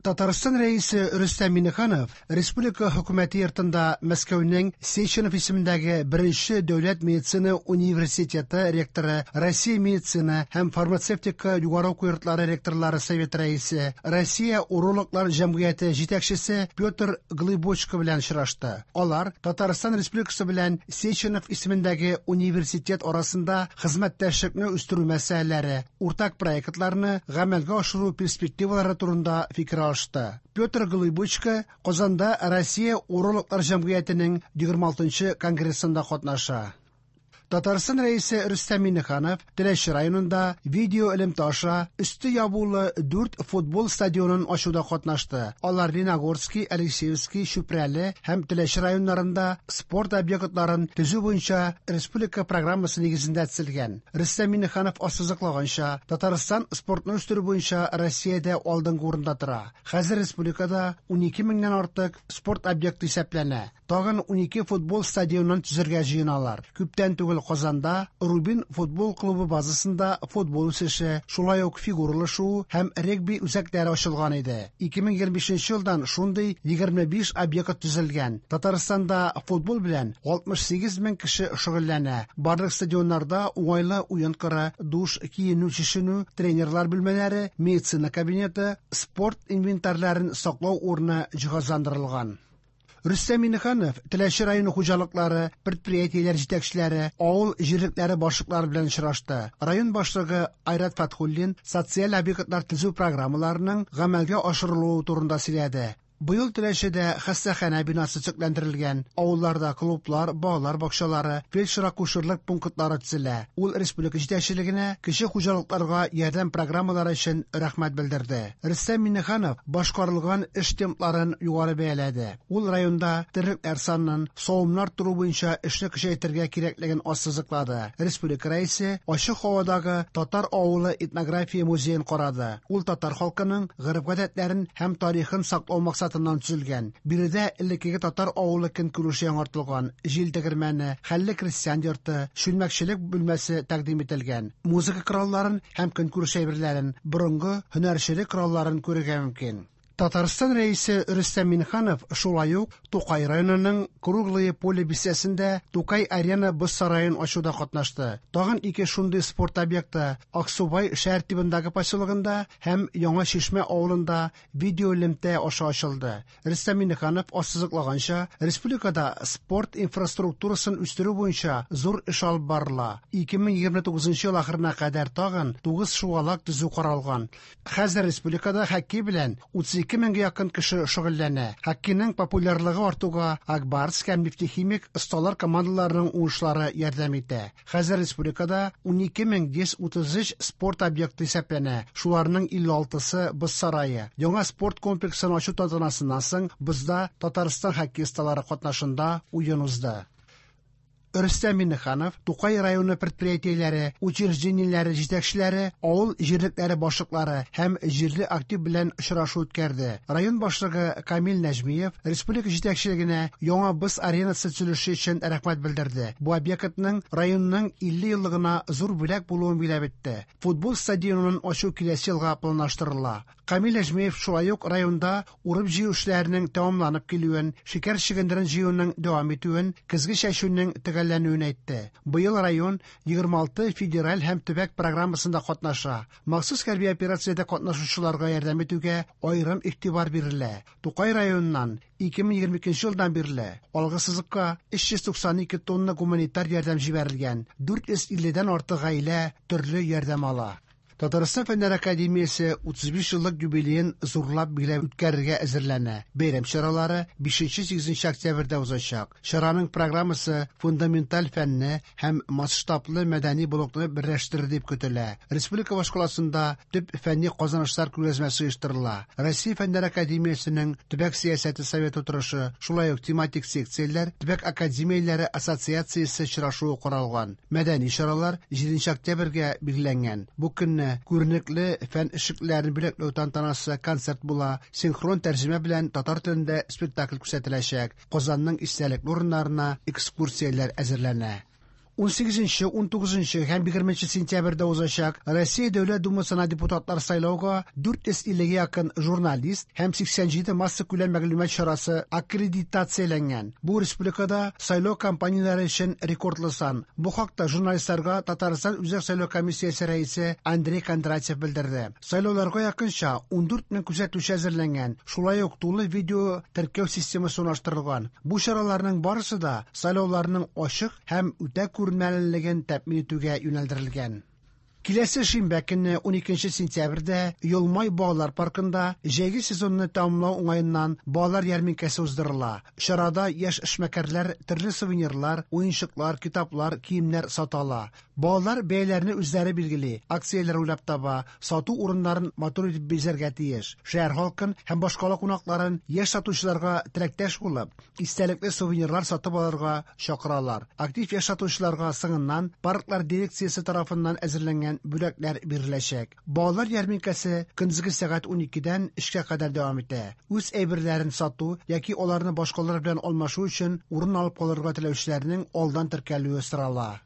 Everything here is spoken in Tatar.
Татарстан Рәисе Рөстәм Миңнеханов Республика Хөкүмәте йортында Мәскәүнең Сеченов исемендәге беренче дәүләт медицина университеты ректоры, Россия медицина һәм фармацевтика югары уку йортлары ректорлары советы рәисе, Россия урологлар җәмгыяте җитәкчесе Петр Глыбочко белән очрашты. Алар Татарстан Республикасы белән Сеченов исемендәге университет арасында хезмәттәшлекне үстерү мәсьәләләре, уртак проектларны гамәлгә ашыру перспективалары турында фикер алышты. Петр Глыбочко Казанда Россия урологлар җәмгыятенең 26 конгрессында катнаша. Татарстан Рәисе Рөстәм Миңнеханов Теләче районында видео элемтә аша өсте ябулы дүрт футбол стадионын ачуда катнашты. Алар Леногорский, Алексеевский, Чүпрәле һәм Теләче районнарында спорт объектларын төзү буенча республика программасы нигезендә төзелгән. Рөстәм Миңнеханов ассызыклаганча, Татарстан спортны үстерү буенча Россиядә алдынгы урында тора. Хәзер республикада 12 меңнән артык спорт объекты исәпләнә. Тагын 12 футбол стадионын төзергә җыеналар. Күптән түгел Казанда Рубин футбол клубы базасында футбол үсеше, шулай ук фигуралы шуу һәм регби үзәкләре ачылган иде. 2025 елдан шундый 25 объект төзелгән. Татарстанда футбол белән 68 мең кеше шөгыльләнә. Барлык стадионнарда уңайлы уен кыры, душ, киенү-чишенү, тренерлар бүлмәләре, медицина кабинеты, спорт инвентарьларын саклау урыны җиһазландырылган. Рөстәм Миңнеханов Теләче районы хуҗалыклары, предприятиеләр җитәкчеләре, авыл җирлекләре башлыклары белән очрашты. Район башлыгы Айрат Фатхуллин социаль объектлар төзү программаларының гамәлгә ашырылуы турында сөйләде. Быел Теләчедә хастаханә бинасы төзекләндерелгән, авылларда клублар, балалар бакчалары, фельдшер-акушерлык пунктлары төзелә. Ул республика җитәкчелегенә кече хуҗалыкларга ярдәм программалары өчен рәхмәт белдерде. Рөстәм Миңнеханов башкарылган эш темпларын югары бәяләде. Ул районда терлекләр санын, савымнар арттыру буенча эшне көчәйтергә кирәклеген ассызыклады. Республика Рәисе ачык һавадагы татар авылы этнография музеен карады. Ул татар халкының гореф-гадәтләрен һәм тарихын саклау максатыннан төзелгән. Биредә элеккеге татар авылы көнкүреше яңартылган, җил тегермәне, хәлле крестьян йорты, чүлмәкчелек бүлмәсе тәкъдим ителгән. Музыка коралларын һәм көнкүреш әйберләрен, борынгы һөнәрчелек коралларын күрергә мөмкин. Татарстан Рәисе Рөстәм Миңнеханов шулай ук Тукай районының Круглое Поле бистәсендә Тукай Арена боз сараен ачуда катнашты. Тагын ике шундый спорт объекты Аксубай шәһәр тибындагы поселогында һәм Яңа Чишмә авылында видеоэлемтә аша ачылды. Рөстәм Миңнеханов ассызыклаганча, республикада спорт инфраструктурасын үстерү буенча зур эш алып барыла. 2029 ел ахырына кадәр тагын 9 шугалак төзү каралган. Хәзер республикада хоккей белән 32 меңгә якын кеше шөгыльләнә. Хоккейның популярлыгы артуга Ак Барс һәм Нефтехимик осталар командаларының уңышлары ярдәм итә. Хәзер республикада 12 133 спорт объекты исәпләнә. Шуларның 56-сы боз сарае. Яңа спорт комплексын ачу тантанасыннан соң бозда Татарстан хоккей осталары катнашында уен узды. Рөстәм Миңнеханов Тукай районы предприятиеләре, учреждениеләре җитәкчеләре, авыл җирлекләре башлыклары һәм җирле актив белән очрашу үткәрде. Район башлыгы Камил Нәҗмиев республика җитәкчелегенә яңа боз аренасы төзелеше өчен рәхмәт белдерде. Бу объектның районның 50 еллыгына зур бүләк булуын билгеләп үтте. Футбол стадионын ачу киләсе елга планлаштырыла. Камил Нәҗмиев шулай ук районда урып-җыю эшләренең тәмамланып килүен, шикәр чөгендерен җыюның дәвам итүен, көзге чәчүнең төгәлләнүен әйтте. Быел район 26 федераль һәм төбәк программасында катнаша. Махсус хәрби операциядә катнашучыларга ярдәм итүгә аерым игътибар бирелә. Тукай районыннан 2022 елдан бирле алгы сызыкка 392 тонна гуманитар ярдәм җибәрелгән. 450дән артык гаилә төрле ярдәм ала. Татарстан Фәннәр академиясе 35 еллык юбилеен зурлап билгеләп үткәрергә әзерләнә. Бәйрәм чаралары 5-8 октябрьдә узачак. Чараның программасы фундаменталь фәнне һәм масштаблы мәдәни блокны берләштерер дип көтелә. Республика башкаласында төп фәнни казанышлар күргәзмәсе оештырыла. Россия Фәннәр академиясенең төбәк сәясәте советы утырышы, шулай ук тематик секцияләр, төбәк академияләре ассоциациясе очрашуы каралган. Мәдәни чаралар 7 октябрьгә билгеләнгән. Бу көнне күренекле фән эшлеклеләрен бүләкләү тантанасы, концерт була, синхрон тәрҗемә белән татар телендә спектакль күрсәтеләчәк. Казанның истәлекле урыннарына экскурсияләр әзерләнә. 18, 19 һәм 20 сентябрьдә узачак Россия Дәүләт Думасына депутатлар сайлауга 450 гә якын журналист һәм 87 массакүләм мәгълүмат чарасы аккредитацияләнгән. Бу республикада сайлау кампанияләре өчен рекордлы сан. Бу хакта журналистларга Татарстан Үзәк сайлау комиссиясе рәисе Андрей Кондратьев белдерде. Сайлауларга якынча 14 мең күзәтүче әзерләнгән, шулай ук тулы видео теркәү системасы урнаштырылган. Бу чараларның барысы да сайлауларның ачык һәм үтә күренмәлелеген тәэмин итүгә юнәлдерелгән. Киләсе шимбә көнне 12 сентябрьдә Йолмай балалар паркында җәйге сезонны тәмамлау уңаеннан балалар ярминкәсе уздырыла. Чарада яшь эшмәкәрләр төрле сувенирлар, уенчыклар, китаплар, киемнәр сата ала. Балалар бәяләрне үзләре билгели, акцияләр уйлап таба, сату урыннарын матур итеп бизәргә тиеш. Шәһәр халкын һәм башкала кунакларын яшь сатучыларга теләктәш булып, истәлекле сувенирлар сатып алырга чакыралар. Актив яшь сатучыларга соңыннан парклар дирекциясе тарафыннан әзерләнгән бүләкләр биреләчәк. Балалар ярминкәсе көндезге сәгать 12дән 3кә кадәр дәвам итә. Үз әйберләрен сату яки аларны башкалар белән алмашу өчен урын алып калырга теләүчеләрнең алдан теркәлүе сорала.